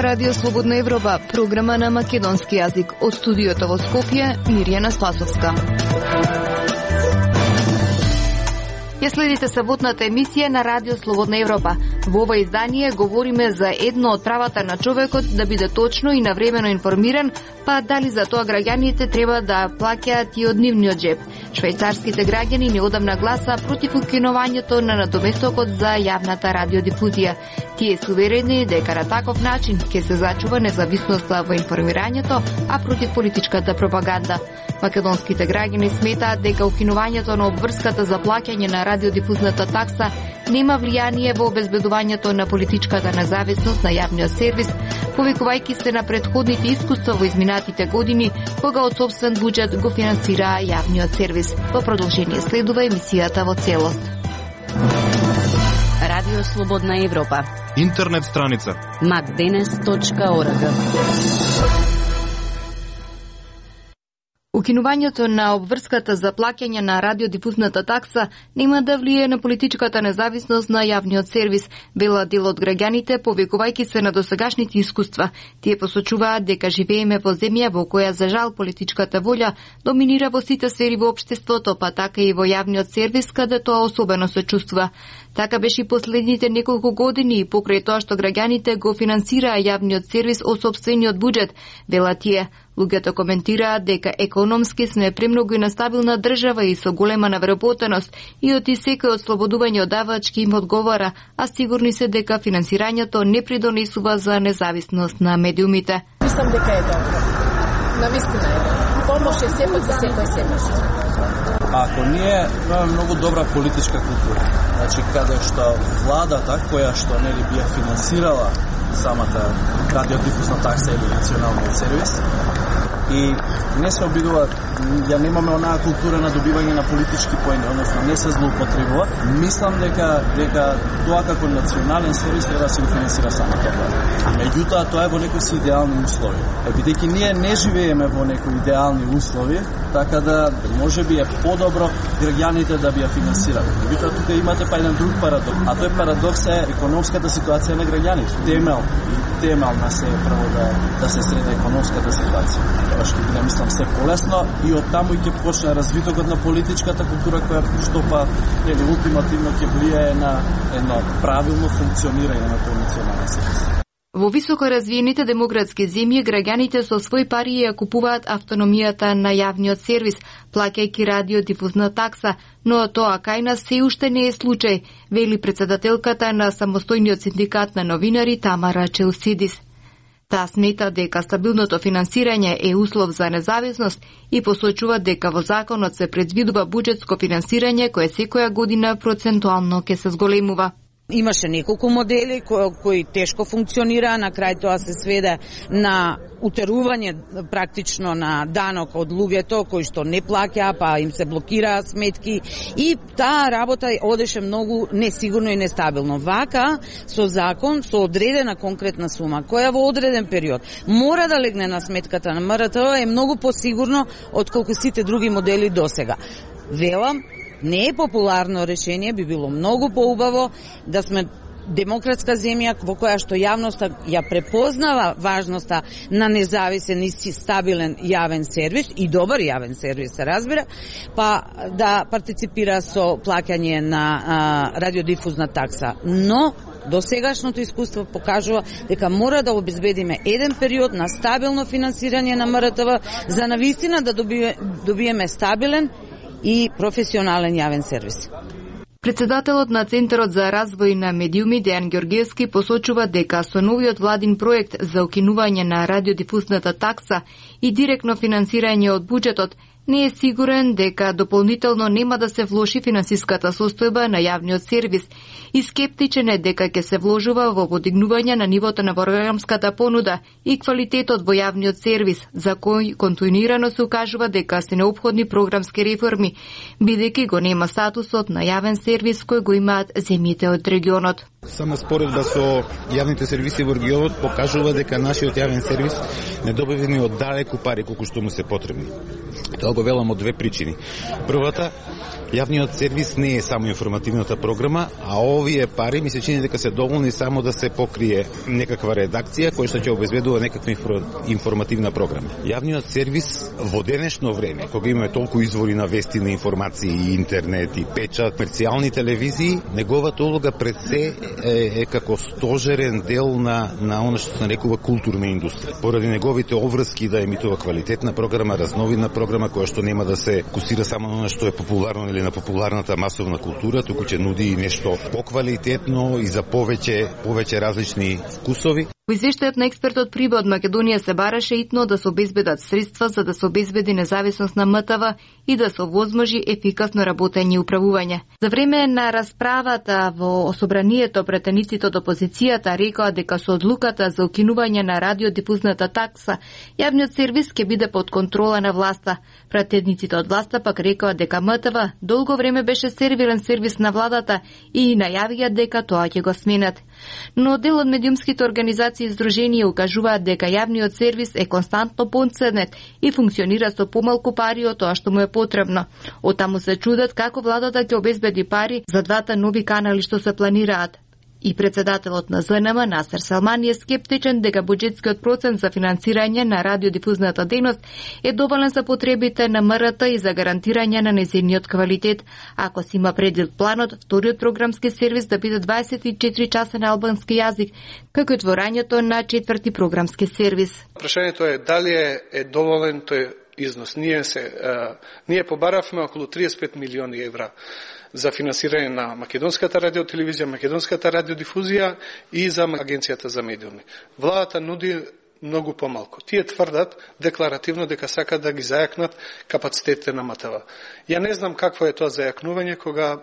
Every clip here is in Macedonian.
Радио Слободна Европа, програма на македонски јазик. Од студиото во Скопје, Мирјана Спасовска. Ја следите саботната емисија на Радио Слободна Европа. Во ова издание говориме за едно од правата на човекот да биде точно и навремено информиран, па дали за тоа граѓаните треба да плаќаат и од нивниот джеб. Швајцарските граѓани неодамна гласа против укинувањето на надоместокот за јавната радиодифузија. Тие се уверени дека на таков начин ќе се зачува независноста во информирањето, а против политичката пропаганда. Македонските граѓани сметаат дека укинувањето на обврската за плаќање на радиодифузната такса нема влијание во обезбедувањето на политичката независност на јавниот сервис, повикувајќи се на претходните искуства во изминатите години, кога од сопствен буџет го финансира јавниот сервис. Во продолжение следува емисијата во целост. Радио Слободна Европа. Интернет страница macdenes.org. Укинувањето на обврската за плаќање на радиодифузната такса нема да влие на политичката независност на јавниот сервис, вела дел од граѓаните, повикувајќи се на досегашните искуства. Тие посочуваат дека живееме во земја во која за жал политичката волја доминира во сите сфери во општеството, па така и во јавниот сервис, каде тоа особено се чувствува. Така беше и последните неколку години, покрај тоа што граѓаните го финансираа јавниот сервис од сопствениот буџет, вела тие. Луѓето коментираат дека економски сме премногу и нестабилна држава и со голема навреботеност и од секој ослободување од давачки им одговара, а сигурни се дека финансирањето не придонесува за независност на медиумите. Мислам дека е добро. Навистина е добро. Помош е сепак за секој семеш. Ако ние имаме многу добра политичка култура, значи каде што владата која што нели би ја финансирала самата радиодифузна такса или националниот сервис и не се обидуваат, ја немаме онаа култура на добивање на политички поени, односно не се злоупотребува. Мислам дека тоа како национален сервис треба да се финансира самата влада. Меѓутоа тоа е во некои си идеални услови. Бидејќи ние не живееме во некои идеални услови, така да можеби е подобро граѓаните да би ја финансирале. Меѓутоа тука имате па еден друг парадокс, а тој парадокс е економската ситуација на граѓаните. Темелна се прво да се среди економската ситуација. Тоа што биде, мислам, се полесно и од таму ќе почне развитокот на политичката култура која што па ултимативно ќе влијае на едно правилно функционирање на тој национален сервис. Во високо развиените демократски земји граѓаните со свој пари ја купуваат автономијата на јавниот сервис, плаќајќи радиодифузна такса, но тоа кај нас се уште не е случај, вели претседателката на самостојниот синдикат на новинари Тамара Челсидис. Таа смета дека стабилното финансирање е услов за независност и посочува дека во законот се предвидува буџетско финансирање кое секоја година процентуално ќе се зголемува. Имаше неколку модели кои тешко функционираа, на крај тоа се сведе на утерување практично на данок од луѓето кои што не плаќаа, па им се блокираа сметки и таа работа одеше многу несигурно и нестабилно. Вака, со закон, со одредена конкретна сума, која во одреден период мора да легне на сметката на МРТВ е многу посигурно отколку сите други модели досега. Велам, не е популарно решение, би било многу поубаво да сме демократска земја во која што јавноста ја препознава важноста на независен и стабилен јавен сервис и добар јавен сервис се разбира, па да партиципира со плаќање на радиодифузна такса. Но досегашното искуство покажува дека мора да обезбедиме еден период на стабилно финансирање на МРТВ за навистина да добиеме стабилен и професионален јавен сервис. Председателот на Центарот за развој на медиуми Дејан Ѓоргиевски посочува дека со новиот владин проект за укинување на радиодифузната такса и директно финансирање од буџетот не е сигурен дека дополнително нема да се влоши финансиската состојба на јавниот сервис и скептичен е дека ќе се вложува во подигнување на нивото на програмската понуда и квалитетот во јавниот сервис, за кој континуирано се укажува дека се неопходни програмски реформи, бидејќи го нема статусот на јавен сервис кој го имаат земјите од регионот. Само споредба со јавните сервиси во регионот покажува дека нашиот јавен сервис не добива ни од далеку пари колку што му се потребни. Тоа го велам од две причини. Првата Јавниот сервис не е само информативната програма, а овие пари ми се чини дека се доволни само да се покрие некаква редакција која што ќе обезбедува некаква информативна програма. Јавниот сервис во денешно време, кога имаме толку извори на вести, на информации, и интернет, и печат, комерцијални телевизии, неговата улога пред се е како стожерен дел на она што се нарекува културна индустрија. Поради неговите обврски да емитува квалитетна програма, разновидна програма која што нема да се фокусира само на она што е популарно или на популарната масовна култура, туку ќе нуди и нешто поквалитетно и за повеќе различни вкусови. Во извештајот на експертот Приба од Македонија се бараше итно да се обезбедат средства за да се обезбеди независност на МТВ и да се овозможи ефикасно работење и управување. За време на расправата во собранието, претениците од опозицијата рекоа дека со одлуката за укинување на радиодифузната такса, јавниот сервис ќе биде под контрола на власта. Претениците од власта пак рекоа дека МТВ долго време беше сервирен сервис на владата и најавија дека тоа ќе го сменат. Но дел од медиумските организации и здруженија укажуваат дека јавниот сервис е константно понценет и функционира со помалку пари од тоа што му е потребно. Оттаму се чудат како владата ќе обезбеди пари за двата нови канали што се планираат. И председателот на ЗНМ Насер Салмани е скептичен дека буџетскиот процент за финансирање на радиодифузната дејност е доволен за потребите на МРТ и за гарантирање на нејзиниот квалитет, ако се има предвид планот вториот програмски сервис да биде 24 часа на албански јазик, како и отворањето на четврти програмски сервис. Прашањето е дали е доволен тој износ. Ние побаравме околу 35 милиони евра за финансирање на македонската радиотелевизија, македонската радиодифузија и за агенцијата за медиуми. Владата нуди многу помалку. Тие тврдат декларативно дека сакат да ги зајакнат капацитетите на МТВ. Ја не знам какво е тоа зајакнување кога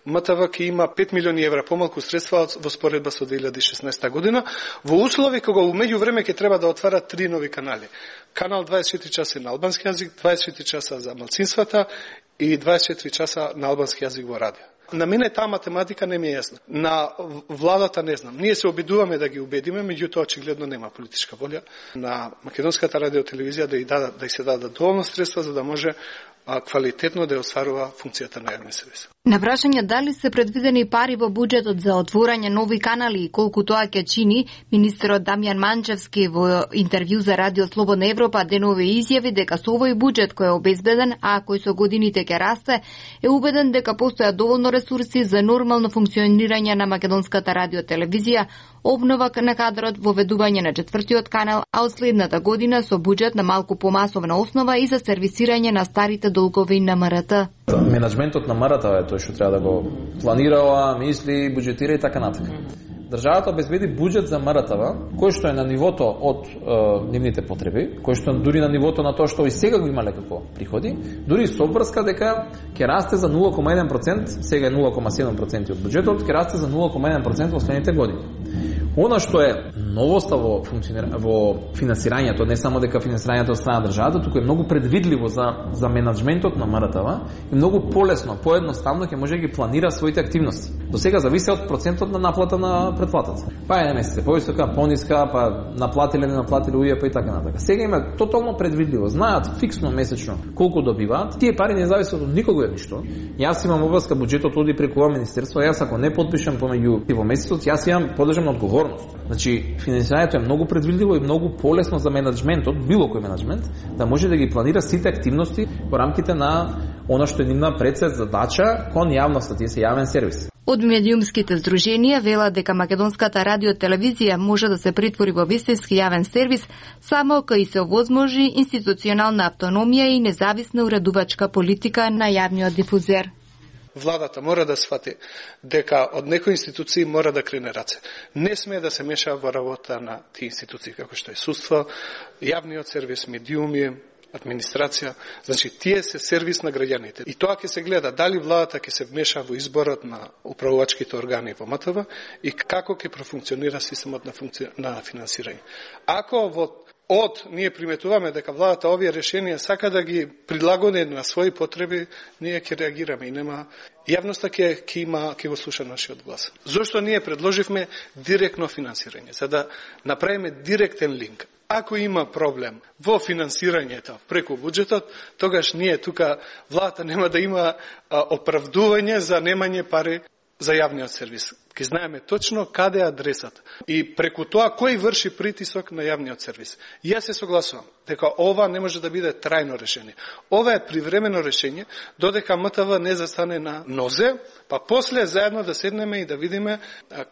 МТВ ќе има 5 милиони евра помалку средства во споредба со 2016 година, во услови кога умеѓу време ќе треба да отвара 3 нови канали. Канал 24 часа на албански јазик, 24 часа за малцинствата и 24 часа на албански јазик во радио. На мене таа математика не ми е јасна. На владата не знам. Ние се обидуваме да ги убедиме, меѓутоа очигледно нема политичка волја на македонската радиотелевизија да и се дадат доволно средства за да може квалитетно да ја остварува функцијата на јавен сервис. На прашање дали се предвидени пари во буџетот за отворање нови канали и колку тоа ќе чини, министерот Дамјан Манчевски во интервју за Радио Слободна Европа денове изјави дека со овој буџет кој е обезбеден, а кој со годините ќе расте, е убеден дека постојат доволно ресурси за нормално функционирање на македонската радиотелевизија, обнова на кадрот, воведување на четвртиот канал, а од следната година со буџет на малку помасовна основа и за сервисирање на старите долгови на МРТ. Менеджментот на МРТ е тој што треба да го планира, мисли, буџетира и така натака. Државата обезбеди буџет за МРТВ, кој што е на нивото од нивните потреби, кој што дури на нивото на тоа што и сега го имале како приходи, дури со обврска дека ќе расте за 0,1%, сега е 0,7% од буџетот, ќе расте за 0,1% во следните години. Она што е новоста во финансирањето, не само дека финансирањето од страна државата, туку е многу предвидливо за менеджментот на МРТВ и многу полесно, поедноставно ќе може да ги планира своите активности. До сега зависи од процентот на наплата на претплатата. Па е месец повисока, пониска, па наплатиле, не наплатиле УЈП и така натака. Сега има тотално предвидливо, знаат фиксно месечно колку добиваат. Тие пари не зависат од никого ништо. Јас имам обврска буџетот оди преку ова министерство, јас ако не подпишам помеѓу во месецот, јас имам подлежам одговорност. Значи, финансирањето е многу предвидливо и многу полесно за менеджментот, било кој менеджмент, да може да ги планира сите активности во рамките на она што е нивна прецед задача кон јавноста, тие се јавен сервис. Од медиумските здруженија велат дека македонската радиотелевизија може да се претвори во вистински јавен сервис само кога се овозможи институционална автономија и независна уредувачка политика на јавниот дифузер. Владата мора да свати дека од некои институции мора да крене раце. Не сме да се меша во работа на тие институции како што е судство, јавниот сервис, медиуми, администрација, значи тие се сервис на граѓаните. И тоа ќе се гледа дали владата ќе се вмеша во изборот на управувачките органи во МТВ и како ќе профункционира системот на финансирање. Ако ние приметуваме дека владата овие решенија сака да ги прилагоди на своји потреби, ние ќе реагираме и нема јавноста ќе го слуша нашиот глас. Зошто ние предложивме директно финансирање, за да направиме директен линк. Ако има проблем во финансирањето преку буџетот, тогаш ние тука владата нема да има оправдување за немање пари за јавниот сервис. Ке знаеме точно каде е адресата и преку тоа кој врши притисок на јавниот сервис. Јас се согласувам дека ова не може да биде трајно решение. Ова е привремено решение додека МТВ не застане на нозе, па после заедно да седнеме и да видиме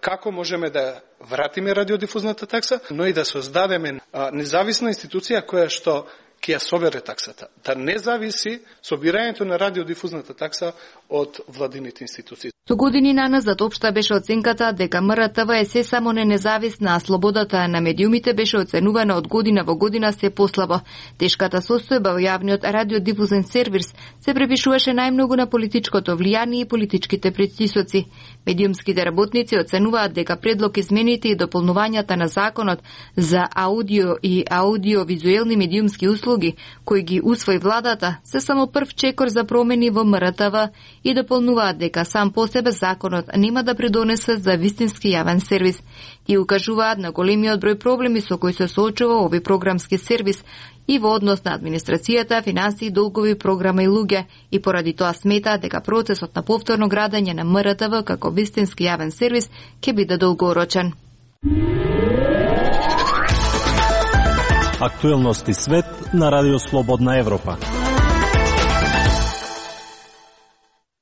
како можеме да вратиме радиодифузната такса, но и да создадеме независна институција која што ќе ја собере таксата. Да не зависи собирањето на радиодифузната такса од владините институции. Со години наназад општа беше оценката дека МРТВ е се само не независна, а слободата на медиумите беше оценувана од година во година се послабо. Тешката состојба во јавниот радиодифузен сервис се препишуваше најмногу на политичкото влијание и политичките притисоци. Медиумските работници оценуваат дека предлог измените и дополнувањата на законот за аудио и аудиовизуелни медиумски услуги, кои ги усвои владата, се само прв чекор за промени во МРТВ и дополнуваат дека сам по себе законот нема да придонесе за вистински јавен сервис. И укажуваат на големиот број проблеми со кои се соочува овој програмски сервис и во однос на администрацијата, финансии, долгови, програма и луѓе, и поради тоа смета дека процесот на повторно градење на МРТВ како вистински јавен сервис ќе биде долгорочен. Актуелности свет на Радио Слободна Европа.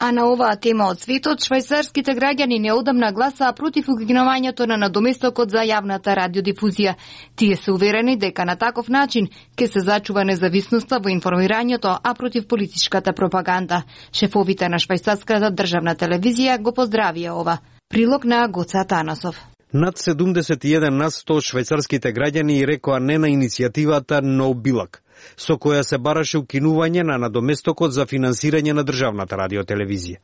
А на оваа тема од светот, швајцарските граѓани неодамна гласаа против укинувањето на надоместокот за јавната радиодифузија. Тие се уверени дека на таков начин ќе се зачува независноста во информирањето, а против политичката пропаганда. Шефовите на швајцарската државна телевизија го поздравија ова. Прилог на Гоца Танасов. Над 71% од швајцарските граѓани рекоа не на иницијативата No Billag, со која се бараше укинување на надоместокот за финансирање на државната радиотелевизија.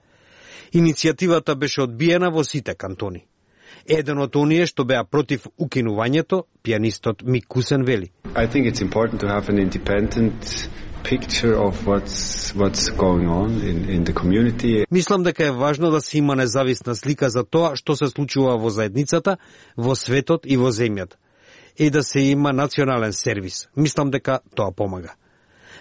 Иницијативата беше одбиена во сите кантони. Еден од оние што беа против укинувањето, пианистот Мик Кусен вели. I think it's important to have an independent picture of what's going on in the community. Мислам дека е важно да се има независна слика за тоа што се случува во заедницата, во светот и во земјата. И да се има национален сервис. Мислам дека тоа помага.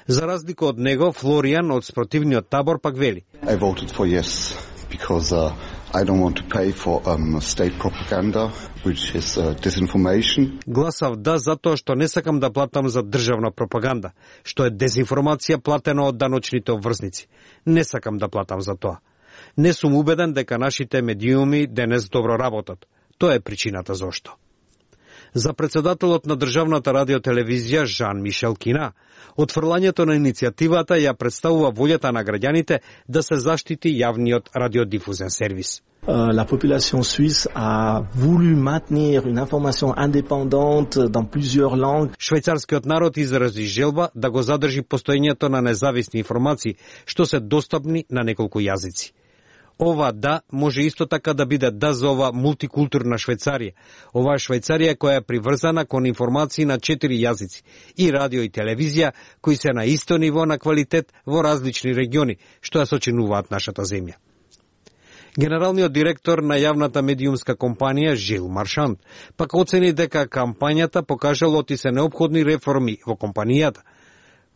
За разлика од него, Флориан од спротивниот табор пак вели. I voted for yes because I don't want to pay for state propaganda, which is disinformation. Гласав да затоа што не сакам да платам за државна пропаганда, што е дезинформација платена од даночните обврзници. Не сакам да платам за тоа. Не сум убеден дека нашите медиуми денес добро работат. Тоа е причината зошто. За председателот на државната радиотелевизија Жан Мишел Кина, отфрлањето на иницијативата ја представува волјата на граѓаните да се заштити јавниот радиодифузен сервис. La population suisse a voulu maintenir une information indépendante dans plusieurs langues. Швајцарскиот народ изрази желба да го задржи постоењето на независни информации, што се достапни на неколку јазици. Ова да може исто така да биде да за ова мултикултурна Швајцарија. Ова е Швајцарија која е приврзана кон информации на 4 јазици и радио и телевизија кои се на исто ниво на квалитет во различни региони, што ја сочинуваат нашата земја. Генералниот директор на јавната медиумска компанија Жил Маршант пак оцени дека кампањата покажала оти се неопходни реформи во компанијата,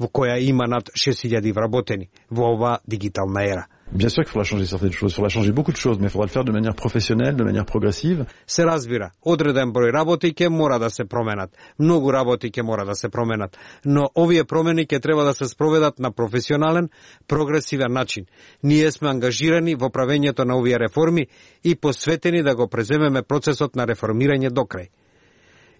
во која има над 6000 вработени во оваа дигитална ера. Bien sûr qu'il faudra changer certaines choses, il faudra changer beaucoup de choses, mais il faudra le faire de manière professionnelle, de manière progressive. Се разбира, одреден број работи ќе мора да се променат, многу работи ќе мора да се променат, но овие промени ќе треба да се спроведат на професионален, прогресивен начин. Ние сме ангажирани во правењето на овие реформи и посветени да го преземеме процесот на реформирање до крај.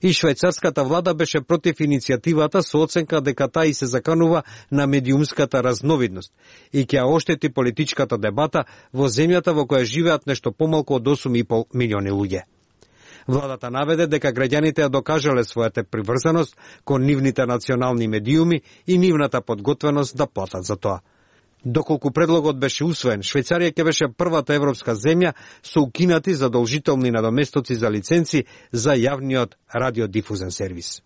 И швајцарската влада беше против иницијативата со оценка дека таа и се заканува на медиумската разновидност и ќе оштети политичката дебата во земјата во која живеат нешто помалку од 8,5 милиони луѓе. Владата наведе дека граѓаните ја докажале својата приврзаност кон нивните национални медиуми и нивната подготвеност да платат за тоа. Доколку предлогот беше усвоен, Швајцарија ќе беше првата европска земја со укинати задолжителни надоместоци за лиценци за јавниот радиодифузен сервис.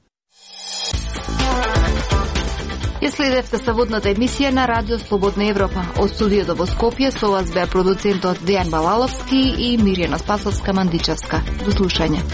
Ја следевте саботната емисија на Радио Слободна Европа. Од студиото во Скопје со вас беа продуцентот Дејан Балаловски и Мирјана Спасовска-Мандичевска. До слушање.